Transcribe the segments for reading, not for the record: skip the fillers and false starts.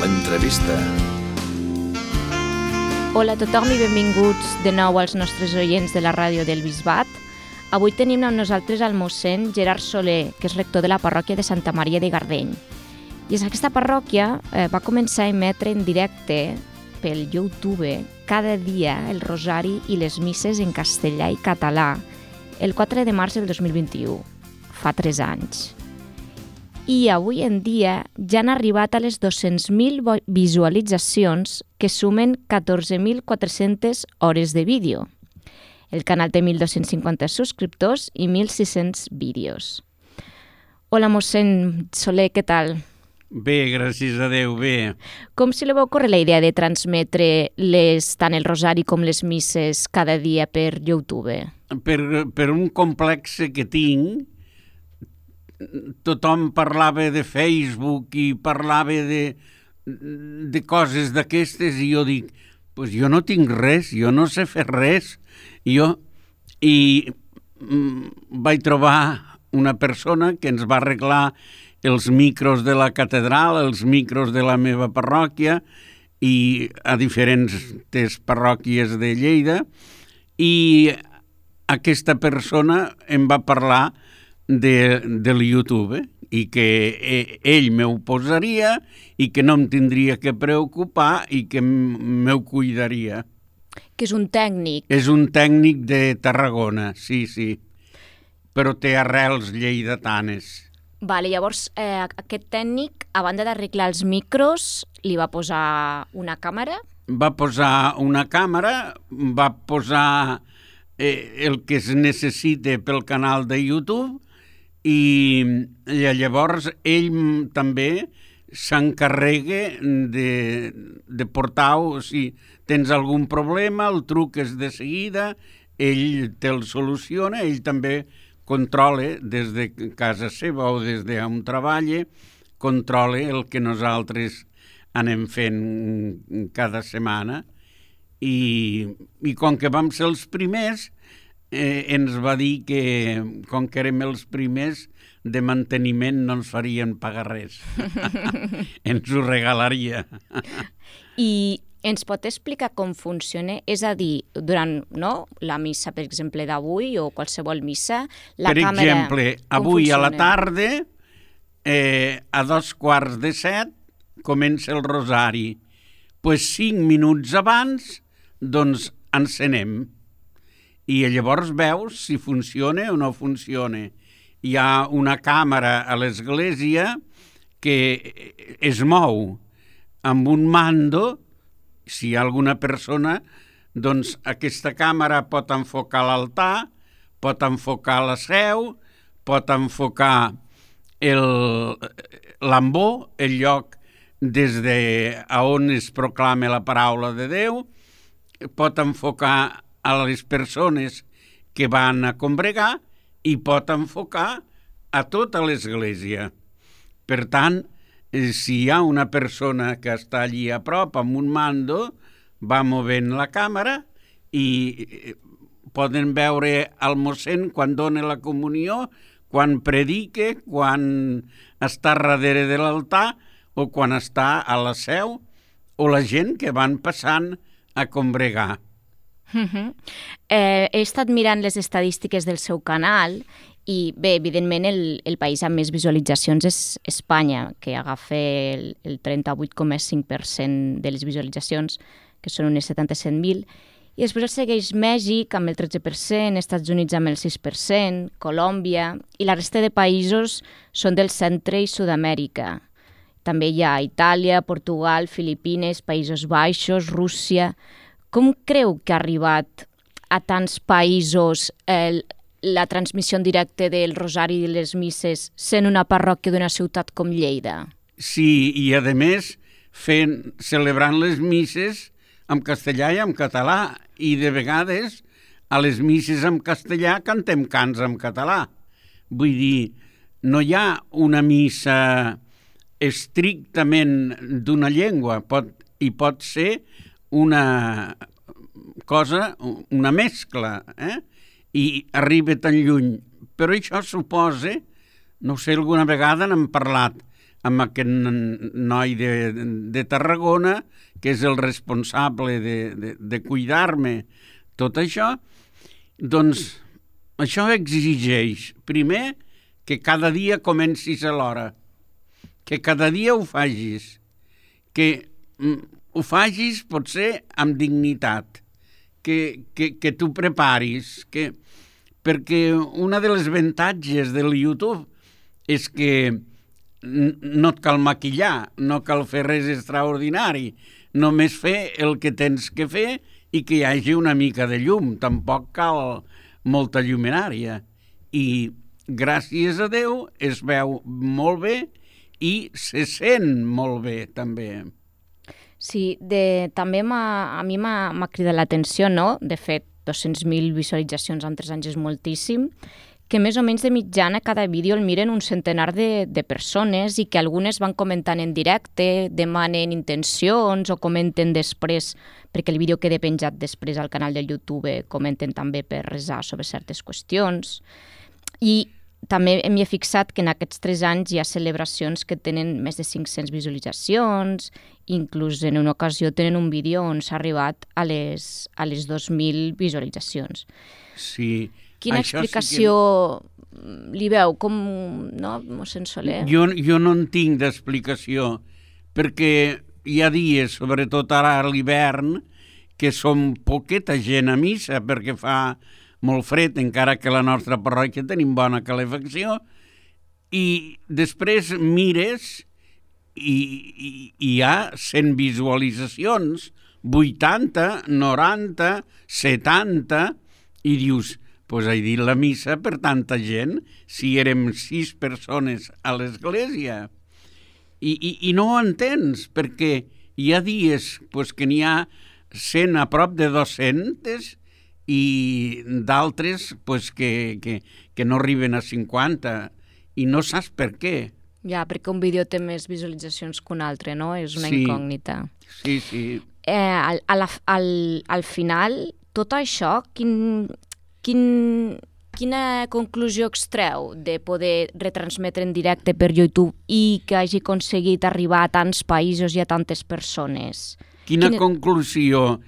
l'entrevista. Hola a tothom i benvinguts de nou als nostres oients de la ràdio del Bisbat. Avui tenim amb nosaltres el mossèn Gerard Soler, que és rector de la parròquia de Santa Maria de Gardeny. I aquesta parròquia va començar a emetre en directe pel YouTube cada dia el rosari i les misses en castellà i català el 4 de març del 2021, fa 3 anys. I avui en dia ja han arribat a les 200.000 visualitzacions que sumen 14.400 hores de vídeo. El canal té 1.250 subscriptors i 1.600 vídeos. Hola, mossèn Soler, què tal? Bé, gràcies a Déu, bé. Com se li va ocórrer la idea de transmetre tant el rosari com les misses cada dia per YouTube? Per un complex que tinc, tothom parlava de Facebook i parlava de coses d'aquestes i jo dic, pues jo no tinc res, jo no sé fer res. I vaig trobar una persona que ens va arreglar els micros de la catedral, els micros de la meva parròquia i a diferents parròquies de Lleida, i aquesta persona em va parlar del YouTube i que ell m'ho posaria i que no em tindria que preocupar i que m'ho cuidaria. Que és un tècnic. És un tècnic de Tarragona, sí, però té arrels lleidatanes. Vale, llavors aquest tècnic, a banda d'arreglar els micros, li va posar una càmera? Va posar una càmera, va posar el que es necessita pel canal de YouTube i llavors ell també s'encarrega de portar-ho. Si tens algun problema, el truques de seguida, ell te'l soluciona, ell també controla des de casa seva o des d'on treballa, controla el que nosaltres anem fent cada setmana. I com que vam ser els primers, ens va dir que, com que érem els primers, de manteniment no ens farien pagar res. Ens ho regalaria. I ens pot explicar com funciona? És a dir, durant la missa, per exemple, d'avui o qualsevol missa, la càmera... Per exemple, avui a la tarda, a 6:45, comença el rosari. Pues 5 minuts abans, doncs, encenem. I llavors veus si funciona o no funciona. Hi ha una càmera a l'església que es mou amb un mando. Si hi ha alguna persona, doncs aquesta càmera pot enfocar l'altar, pot enfocar la seu, pot enfocar l'ambó, el lloc des d'on es proclama la paraula de Déu, pot enfocar a les persones que van a congregar i pot enfocar a tota l'església. Per tant, si hi ha una persona que està allí a prop amb un mando, va movent la càmera i poden veure el mossèn quan dona la comunió, quan predica, quan està darrere de l'altar o quan està a la seu, o la gent que van passant a congregar. He estat mirant les estadístiques del seu canal i bé, evidentment el país amb més visualitzacions és Espanya, que agafa el 38,5% de les visualitzacions, que són unes 77.000, i després el segueix Mèxic amb el 13%, Estats Units amb el 6%, Colòmbia, i la resta de països són del centre i Sud-amèrica. També hi ha Itàlia, Portugal, Filipines, Països Baixos, Rússia. Com creu que ha arribat a tants països la transmissió en directe del rosari i les misses sent una parròquia d'una ciutat com Lleida? Sí, i a més celebrant les misses en castellà i en català, i de vegades a les misses en castellà cantem cants en català. Vull dir, no hi ha una missa estrictament d'una llengua, pot ser una cosa, una mescla, i arriba tan lluny. Però això suposa, no sé, alguna vegada n'hem parlat, amb aquest noi de Tarragona, que és el responsable de cuidar-me, tot això, doncs això exigeix, primer, que cada dia comencis a l'hora, que cada dia ho facis, que ho facis potser amb dignitat, que t'ho preparis, perquè una de les avantatges del YouTube és que no et cal maquillar, no cal fer res extraordinari, només fer el que tens que fer i que hi hagi una mica de llum, tampoc cal molta lluminària. I gràcies a Déu es veu molt bé i se sent molt bé també. Sí, també a mi m'ha cridat l'atenció, no? De fet, 200.000 visualitzacions en 3 anys és moltíssim, que més o menys de mitjana cada vídeo el miren un centenar de persones i que algunes van comentant en directe, demanen intencions o comenten després, perquè el vídeo queda penjat després al canal del YouTube, comenten també per resar sobre certes qüestions. I també m'hi he fixat que en aquests 3 anys hi ha celebracions que tenen més de 500 visualitzacions, inclús en una ocasió tenen un vídeo on s'ha arribat a les 2.000 visualitzacions. Sí. Quina explicació li veu? Com, no, mossèn Soler? Jo no en tinc d'explicació, perquè hi ha dies, sobretot ara a l'hivern, que som poqueta gent a missa, perquè fa molt fred, encara que a la nostra parròquia tenim bona calefacció, i després mires i hi ha 100 visualitzacions, 80, 90, 70, i dius, doncs he dit la missa per tanta gent, si érem 6 persones a l'església. I no ho entens, perquè hi ha dies que n'hi ha 100 a prop de 200 i d'altres que no arriben a 50 i no saps per què. Ja, perquè un vídeo té més visualitzacions que un altre, no? És una incògnita. Sí. Al final, tot això, quina conclusió extreu de poder retransmetre en directe per YouTube i que hagi aconseguit arribar a tants països i a tantes persones? Quina conclusió?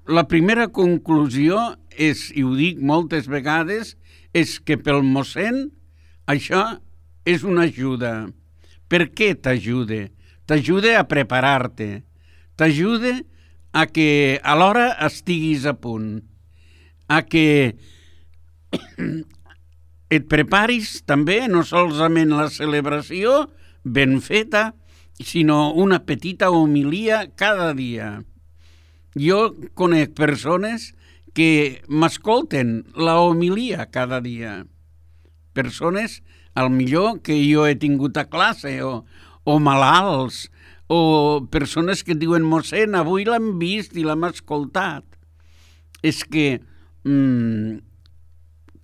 La primera conclusió és, i ho dic moltes vegades, és que pel mossèn això és una ajuda. Per què t'ajuda? T'ajuda a preparar-te. T'ajuda a que alhora estiguis a punt. A que et preparis també, no solament la celebració ben feta, sinó una petita homilia cada dia. Jo conec persones que m'escolten la homilia cada dia. Persones, al millor, que jo he tingut a classe, o malalts, o persones que diuen, mossèn, avui l'hem vist i l'hem escoltat. És que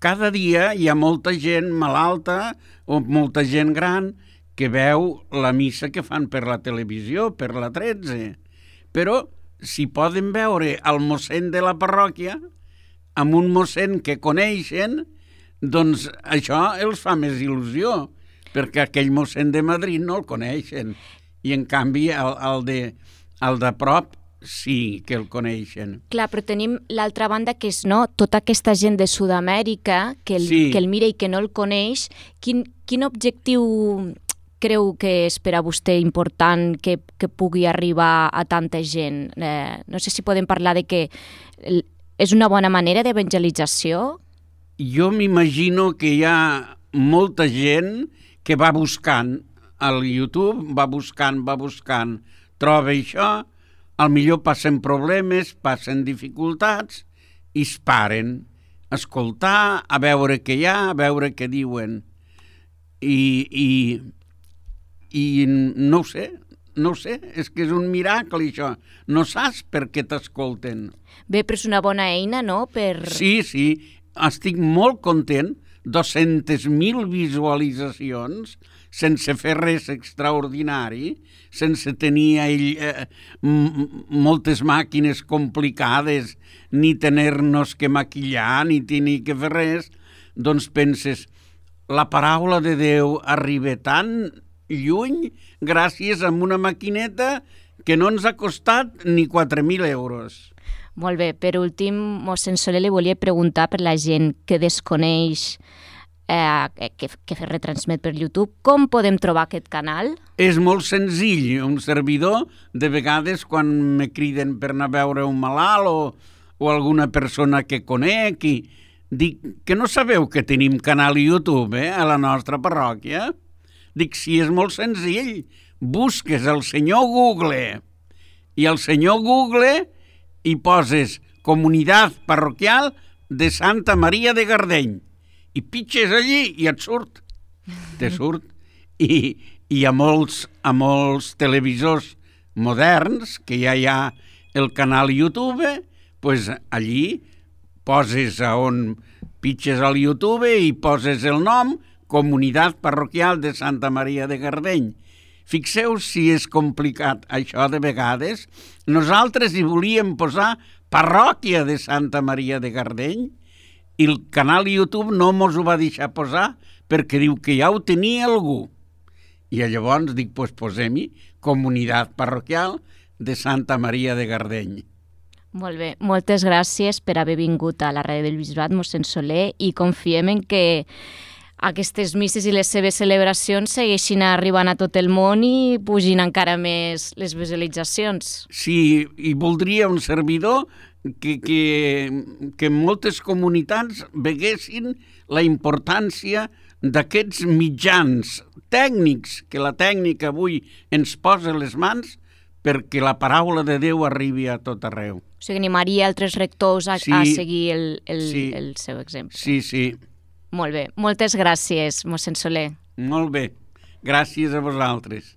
cada dia hi ha molta gent malalta o molta gent gran que veu la missa que fan per la televisió, per la 13. Però si poden veure el mossèn de la parròquia amb un mossèn que coneixen, doncs això els fa més il·lusió, perquè aquell mossèn de Madrid no el coneixen. I en canvi el de prop sí que el coneixen. Clar, però tenim l'altra banda que és tota aquesta gent de Sud-amèrica que el mira i que no el coneix. Quin objectiu creu que és per a vostè important que pugui arribar a tanta gent? No sé si podem parlar de que és una bona manera d'evangelització? Jo m'imagino que hi ha molta gent que va buscant al YouTube, va buscant, troba això, al millor passen problemes, passen dificultats i es paren a escoltar, a veure què hi ha, a veure què diuen. I no ho sé, és que és un miracle això. No saps per què t'escolten. Bé, però és una bona eina, no? Sí, estic molt content. 200.000 visualitzacions sense fer res extraordinari, sense tenir moltes màquines complicades, ni tenir-nos que maquillar, ni tenir que fer res, doncs penses, la paraula de Déu arriba tant lluny gràcies a una maquineta que no ens ha costat ni 4.000 euros. Molt bé. Per últim, mossèn Soler, li volia preguntar per la gent que desconeix que retransmet per YouTube, com podem trobar aquest canal? És molt senzill. Un servidor, de vegades, quan me criden per anar a veure un malalt o alguna persona que conec, i dic que no sabeu que tenim canal YouTube a la nostra parròquia? Dic, sí, és molt senzill. Busques el senyor Google i el senyor Google i poses Comunitat Parroquial de Santa Maria de Gardeny i pitges allí i et surt. Te surt. I a molts televisors moderns, que ja hi ha el canal YouTube, pues allí poses on pitges al YouTube i poses el nom Comunitat Parroquial de Santa Maria de Gardeny. Fixeu si és complicat això de vegades. Nosaltres hi volíem posar Parròquia de Santa Maria de Gardeny i el canal YouTube no mos ho va deixar posar perquè diu que ja ho tenia algú. I llavors dic, pues posem-hi Comunitat Parroquial de Santa Maria de Gardeny. Molt bé. Moltes gràcies per haver vingut a la ràdio del Bisbat, mossèn Soler, i confiem en que aquestes misses i les seves celebracions segueixin arribant a tot el món i pugin encara més les visualitzacions. Sí, i voldria un servidor que moltes comunitats veguessin la importància d'aquests mitjans tècnics, que la tècnica avui ens posa a les mans perquè la paraula de Déu arribi a tot arreu. O sigui, animaria altres rectors a seguir el seu exemple. Sí, sí. Molt bé. Moltes gràcies, mossèn Soler. Molt bé. Gràcies a vosaltres.